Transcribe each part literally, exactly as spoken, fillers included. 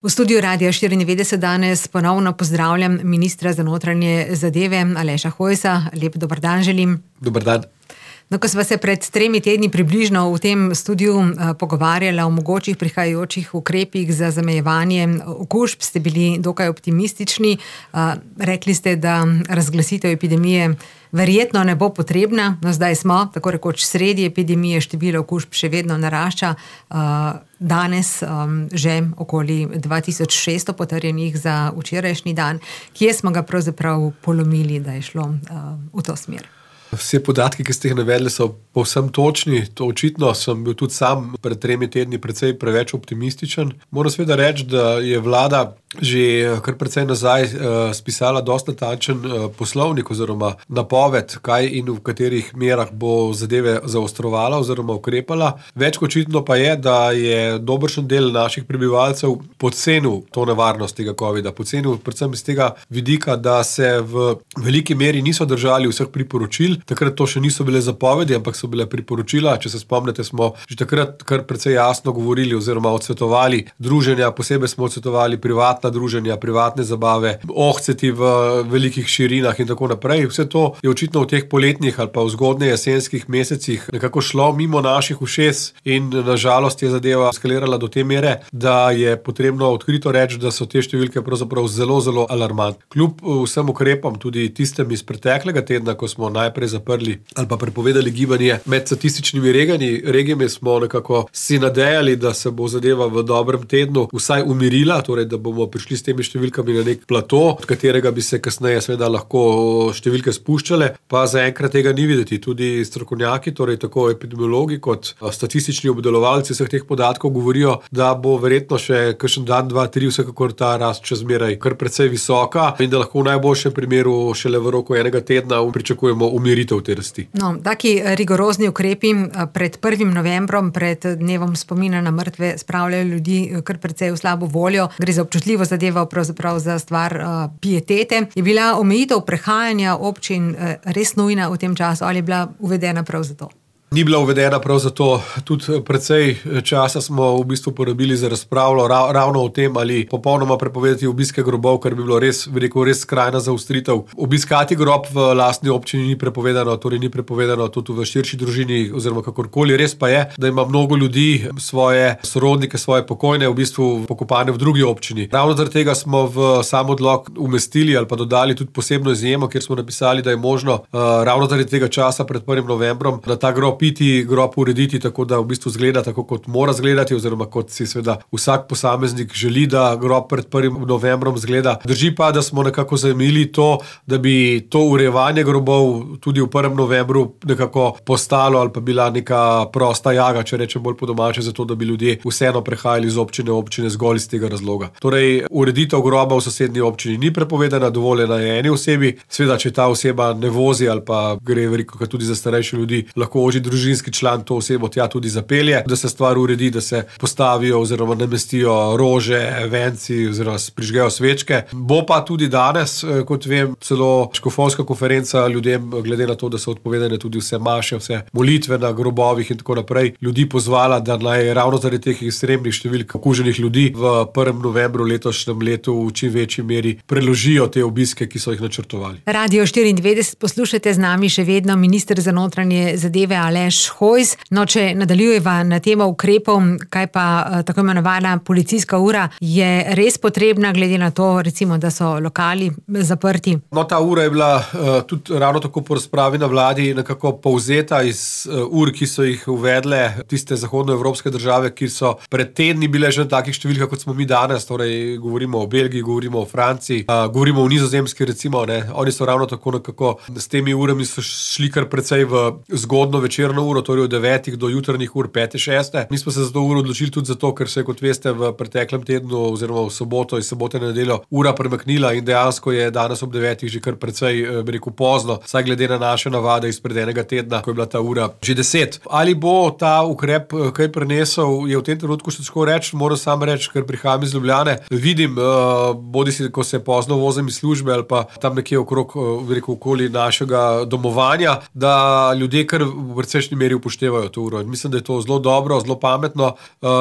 V studiu Radia štiriindevetdeset danes ponovno pozdravljam ministra za notranje zadeve Aleša Hojsa. Lep dober dan želim. Dober dan. No, ko sva se pred tremi tedni približno v tem studiu uh, pogovarjala o mogočih prihajajočih ukrepih za zamejevanje okužb, ste bili dokaj optimistični. Uh, rekli ste, da razglasitev epidemije verjetno ne bo potrebna. No, zdaj smo, tako rekoč sredi epidemije, število okužb še vedno narašča. Uh, danes um, že okoli dva tisoč šeststo potrjenih za včerajšnji dan. Kje smo ga pravzaprav polomili, da je šlo uh, v to smer? Vse podatki, ki ste jih navedli, so povsem točni. To očitno sem bil tudi sam pred tremi tedni precej preveč optimističen. Moram seveda reči, da je vlada že kar precej nazaj uh, spisala dosti natančen uh, poslovnik oziroma napoved, kaj in v katerih merah bo zadeve zaostrovala oziroma ukrepala. Več kot očitno pa je, da je dobršen del naših prebivalcev podcenil to nevarnost tega covida. Podcenil predvsem iz tega vidika, da se v veliki meri niso držali vseh priporočil. Takrat to še niso bile zapovedi, ampak so bile priporočila. Če se spomnite, smo že takrat kar precej jasno govorili oziroma odsvetovali druženja, posebej smo odsvetovali privatna druženja, privatne zabave, ohceti v velikih širinah in tako naprej. Vse to je očitno v teh poletnih ali pa v zgodnje jesenskih mesecih nekako šlo mimo naših ušes in nažalost je zadeva eskalirala do te mere, da je potrebno odkrito reči, da so te številke pravzaprav zelo, zelo alarmantne. Kljub vsem ukrepom, tudi tistem iz preteklega tedna, ko smo najprej zaprli ali pa prepovedali gibanje med statističnimi regijami, regijami smo nekako si nadejali, da se bo zadeva v dobrem tednu vsaj umirila, torej da bomo prišli s temi številkami na nek plato, od katerega bi se kasneje seveda lahko številke spuščale, pa zaenkrat tega ni videti. Tudi strokovnjaki, torej tako epidemiologi kot statistični obdelovalci vseh teh podatkov govorijo, da bo verjetno še kakšen dan, dva, tri vsekakor ta rast še zmeraj kar precej visoka in da lahko v najboljšem primeru šele v roku enega tedna pričakujemo umiritev te rasti. No, taki rigorozni ukrepi pred prvim novembrom, pred dnevom spomina na mrtve, spravljajo ljudi kar precej v slabo voljo. Gre za občutljivo zadeva, pravzaprav za stvar uh, pietete. Je bila omejitev prehajanja občin uh, res nujna v tem času ali je bila uvedena prav zato? Ni bila uvedena prav zato. Tudi precej časa smo v bistvu porabili za razpravo ra- ravno o tem, ali popolnoma prepovedati obiske grobov, kar bi bilo res, veliko, res skrajna zaostritev. Obiskati grob v lastni občini ni prepovedano, torej ni prepovedano tudi v širši družini oziroma kakorkoli. Res pa je, da ima mnogo ljudi svoje sorodnike, svoje pokojne v bistvu pokopane v drugi občini. Ravno zaradi tega smo v sam odlok umestili ali pa dodali tudi posebno izjemo, kjer smo napisali, da je možno uh, ravno zaradi tega časa pred prvim novembrom na ta grob piti, grob urediti tako, da v bistvu zgleda tako, kot mora zgledati oziroma kot si seveda vsak posameznik želi, da grob pred prvim novembrom zgleda. Drži pa, da smo nekako zajemili to, da bi to urejevanje grobov tudi v prvem novembru nekako postalo ali pa bila neka prosta jaga, če rečem bolj po domače, zato da bi ljudje vseeno prehajali iz občine v občine zgolj iz tega razloga. Torej, ureditev groba v sosednji občini ni prepovedana, dovoljena je eni osebi. Seveda, če ta oseba ne vozi ali pa gre veliko tudi za starejše ljudi, lahko oži družinski član to osebo tja tudi zapelje, da se stvar uredi, da se postavijo oziroma namestijo rože, venci oziroma prižgejo svečke. Bo pa tudi danes, kot vem, celo škofovska konferenca ljudem, glede na to, da so odpovedane tudi vse maše, vse molitve na grobovih in tako naprej, ljudi pozvala, da naj ravno zaradi teh ekstremnih številk okuženih ljudi v prvem novembru letošnjem letu v čim večji meri preložijo te obiske, ki so jih načrtovali. Radio štiriindevetdeset poslušate, z nami še vedno minister za notranje zadeve Aleš Hojs. No, če nadaljujeva na temo ukrepov, kaj pa tako imenovana policijska ura, je res potrebna, glede na to, recimo, da so lokali zaprti? No, ta ura je bila uh, tudi ravno tako po razpravi na vladi nekako povzeta iz uh, ur, ki so jih uvedle tiste zahodnoevropske države, ki so pred tedni bile že na takih številkah, kot smo mi danes, torej govorimo o Belgiji, govorimo o Franciji, uh, govorimo o Nizozemski, recimo, ne. Oni so ravno tako nekako s temi urami so šli kar precej v zgodno večerno uro, torej od devetih do jutrnih ur pete, šeste. Mi smo se za to uro odločili tudi zato, ker se je, kot veste, v preteklem tednu oziroma v soboto in sobote na nedeljo ura premaknila in dejansko je danes ob devetih že kar precej, bi rekel, pozno, saj glede na naše navade izpred enega tedna, ko je bila ta ura že deset. Ali bo ta ukrep kaj prenesel, je v tem trenutku še težko reči, moram sam reči, ker prihajam iz Ljubljane. Vidim, uh, bodisi, ko se pozno vozim iz službe ali pa tam nekje okrog, uh, bi rekel, okoli našega domovanja, da ljudje kar precej precejšnji meri upoštevajo to uro. Mislim, da je to zelo dobro, zelo pametno.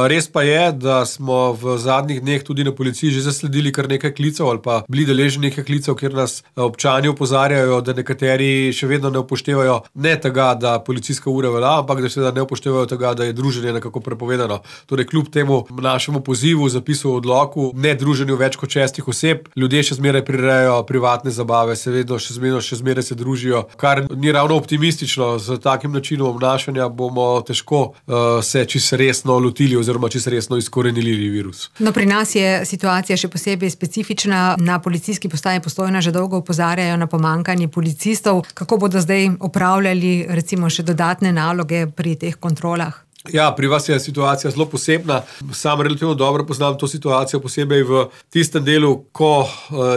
Res pa je, da smo v zadnjih dneh tudi na policiji že zasledili kar nekaj klicev ali pa bili deležni nekaj klicev, kjer nas občani opozarjajo, da nekateri še vedno ne upoštevajo ne tega, da policijska ura velja, ampak da seveda ne upoštevajo tega, da je druženje nekako prepovedano. Torej, kljub temu našemu pozivu, zapisu v odloku, ne druženju več kot šestih oseb, ljudje še zmeraj prirejajo privatne zabave, seveda še zmeraj, še zmeraj se družijo, kar ni ravno optimistično. Z takim načinom obnašanja bomo težko uh, se čisto resno lotili oziroma čisto resno izkorenili virus. No, pri nas je situacija še posebej specifična. Na policijski postaji Postojna že dolgo opozarjajo na pomanjkanje policistov. Kako bodo zdaj opravljali recimo še dodatne naloge pri teh kontrolah? Ja, pri vas je situacija zelo posebna. Sam relativno dobro poznam to situacijo, posebej v tistem delu, ko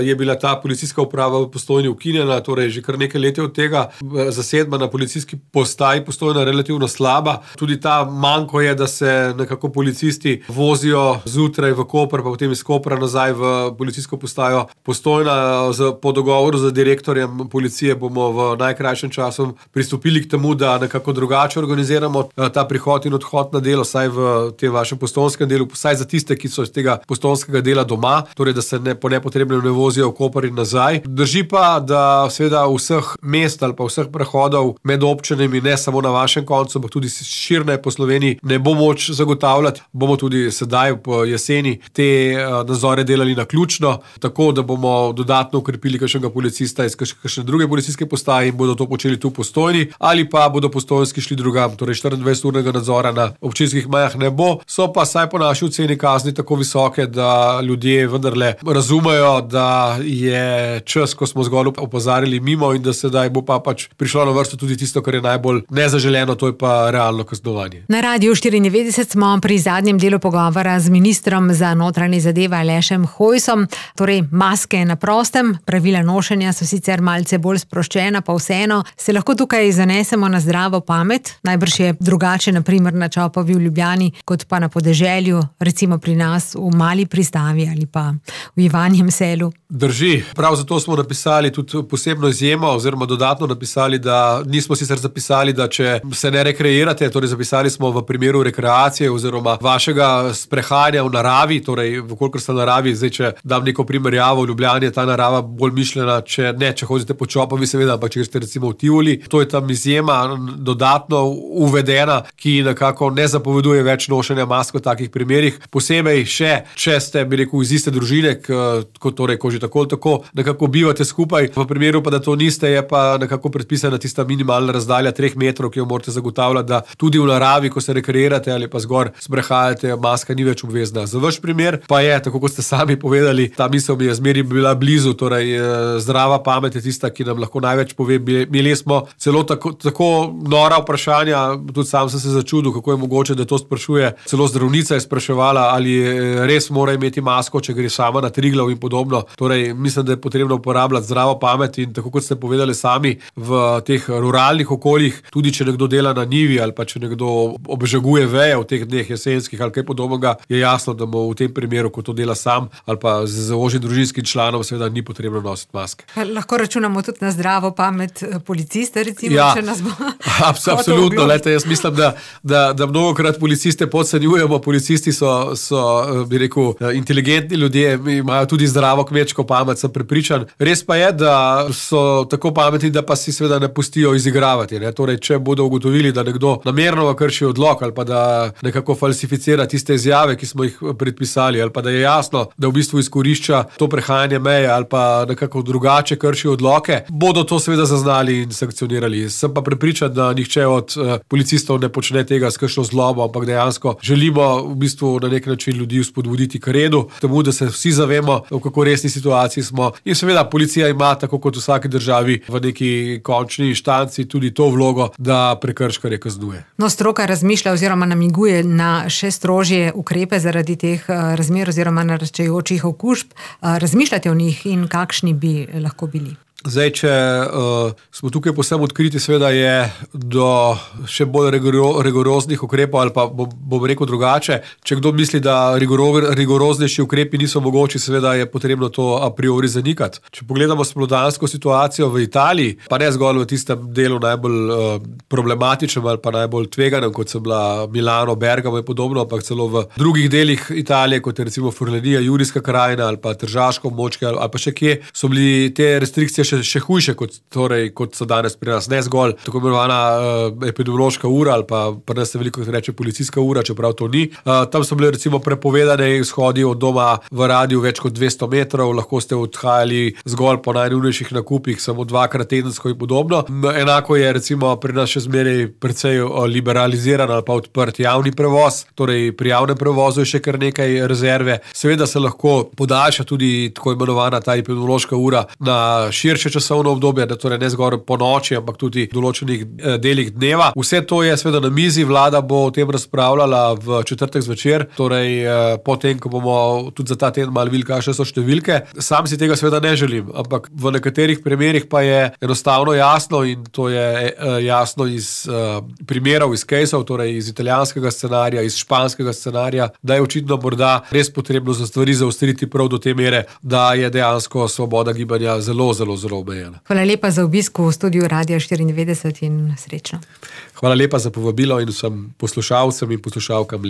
je bila ta policijska uprava v Postojni ukinjena, torej že kar nekaj let od tega. Zasedba na policijski postaji Postojna relativno slaba. Tudi ta manko je, da se nekako policisti vozijo zjutraj v Koper, pa potem iz Kopra nazaj v policijsko postajo Postojna. Po dogovoru z direktorjem policije bomo v najkrajšem času pristopili k temu, da nekako drugače organiziramo ta prihod in odhod na delo, saj v tem vašem postojnskem delu, saj za tiste, ki so iz tega postojnskega dela doma, torej da se ne, po nepotrebnem ne vozijo v Koper in nazaj. Drži pa, da seveda vseh mest ali pa vseh prehodov med občinami, ne samo na vašem koncu, ampak tudi širne po Sloveniji, ne bo moč zagotavljati. Bomo tudi sedaj po jeseni te nadzore delali naključno, tako da bomo dodatno ukrepili kakšnega policista iz kakšne druge policijske postaje in bodo to počeli tu v Postojni, ali pa bodo postojnski šli drugam, torej štiriindvajseturnega nadzora na občinskih mejah ne bo. So pa saj po naši oceni kazni tako visoke, da ljudje vendarle razumejo, da je čas, ko smo zgolj opozarjali mimo in da sedaj bo pa pač prišlo na vrsto tudi tisto, kar je najbolj nezaželeno, to je pa realno kaznovanje. Na Radiu štiriindevetdeset smo pri zadnjem delu pogovora z ministrom za notranje zadeve Alešem Hojsom. Torej, maske na prostem, pravila nošenja so sicer malce bolj sproščena, pa vseeno se lahko tukaj zanesemo na zdravo pamet. Najbrž je drugače, na primer na Čopovi v Ljubljani, kot pa na podeželju, recimo pri nas v Mali Pristavi ali pa v Ivanjem Selu. Drži. Prav zato smo napisali tudi posebno izjemo oziroma dodatno napisali, da nismo sicer zapisali, da če se ne rekreirate, torej zapisali smo v primeru rekreacije oziroma vašega sprehajanja v naravi, torej vkolikor ste v naravi, zdaj če dam neko primerjavo, v Ljubljani je ta narava bolj mišljena, če ne, če hodite po Čopovi seveda, ampak če ste recimo v Tivoli, to je tam izjema dodatno uvedena, ki nekako ne zapoveduje več nošenja mask v takih primerih. Posebej še, če ste, bi rekel, iz iste družine, kot torej, ko že tako tako nekako bivate skupaj. V primeru pa, da to niste, je pa nekako predpisana tista minimalna razdalja treh metrov, ki jo morate zagotavljati, da tudi v naravi, ko se rekreirate ali pa zgor sprehajate, maska ni več obvezna. Za vaš primer pa je, tako kot ste sami povedali, ta misel mi je zmeri bila blizu, torej zdrava pamet je tista, ki nam lahko največ pove. Imeli smo celo tako, tako nora vprašanja, tudi sam sem se začudil, kako je mogoče, da to sprašuje. Celo zdravnica je spraševala, ali res mora imeti masko, če gre sama na Triglav in podobno. Torej, mislim, da je potrebno uporabljati zdravo pamet in tako kot ste povedali sami, v teh ruralnih okoljih, tudi če nekdo dela na njivi ali pa če nekdo obžaguje veje v teh dneh jesenskih ali kaj podobnega, je jasno, da mu v tem primeru, ko to dela sam ali pa z ožjim družinskim članom, seveda ni potrebno nositi maske. Lahko računamo tudi na zdravo pamet policista, recimo, ja, če nas bo. Absolutno, lejte, jaz mislim, da, da, da mnogokrat policiste podcenjujemo. Policisti so, so, bi rekel, inteligentni ljudje, imajo tudi zdravo kmečko pamet, sem prepričan. Res pa je, da so tako pametni, da pa si seveda ne pustijo izigravati. Ne? Torej, če bodo ugotovili, da nekdo namerno krši odlok ali pa da nekako falsificira tiste izjave, ki smo jih predpisali, ali pa da je jasno, da v bistvu izkorišča to prehajanje meje ali pa nekako drugače krši odloke, bodo to seveda zaznali in sankcionirali. Sem pa prepričan, da nihče od uh, policistov ne počne tega s kakšno zlobo, ampak dejansko želimo v bistvu na nek način ljudi spodbuditi k redu, temu, da se vsi zavemo, v kako resni situaciji smo. In seveda policija ima, tako kot v vsaki državi, v neki končni inštanci tudi to vlogo, da prekrškarje kaznuje. No, stroka razmišlja oziroma namiguje na še strožje ukrepe zaradi teh razmer oziroma naraščajočih okužb. Razmišljate o njih in kakšni bi lahko bili? Zdaj, če uh, smo tukaj posebno odkriti, seveda je do še bolj rigoro, rigoroznih ukrepov, ali pa bom, bom rekel drugače. Če kdo misli, da rigoro, rigoroznejši ukrepi niso mogoči, seveda je potrebno to a priori zanikati. Če pogledamo spomladansko situacijo v Italiji, pa ne zgolj v tistem delu najbolj uh, problematičnem ali pa najbolj tveganem, kot so bila Milano, Bergamo in podobno, ampak celo v drugih delih Italije, kot je recimo Furlanija, Julijska krajina ali pa Tržaško območje ali pa še kje, so bili te restrikcije še, še hujše, kot, torej, kot so danes pri nas. Ne zgolj tako imenovana uh, epidemiološka ura ali pa pri nas se veliko reče policijska ura, čeprav to ni. Uh, tam so bile recimo prepovedane izhodi od doma v radiju več kot dvesto metrov, lahko ste odhajali zgolj po najnujnejših nakupih, samo dvakrat tedensko in podobno. Enako je recimo pri nas še zmeraj precej liberaliziran ali pa odprt javni prevoz, torej pri javnem prevozu je še kar nekaj rezerve. Seveda se lahko podaljša tudi tako imenovana ta epidemiološka ura na širše časovno obdobje, da torej ne zgolj po noči, ampak tudi v določenih delih dneva. Vse to je seveda na mizi, vlada bo o tem razpravljala v četrtek zvečer, torej potem, ko bomo tudi za ta teden malo videli, kakšne so številke. Sam si tega seveda ne želim, ampak v nekaterih primerih pa je enostavno jasno in to je jasno iz primerov, iz caseov, torej iz italijanskega scenarija, iz španskega scenarija, da je očitno morda res potrebno za stvari zaostriti prav do te mere, da je dejansko svoboda gibanja zelo, zelo, zelo omejena. Hvala lepa za obisk v studiu Radia štiriindevetdeset in srečno. Hvala lepa za povabilo in vsem poslušalcem in poslušalkam.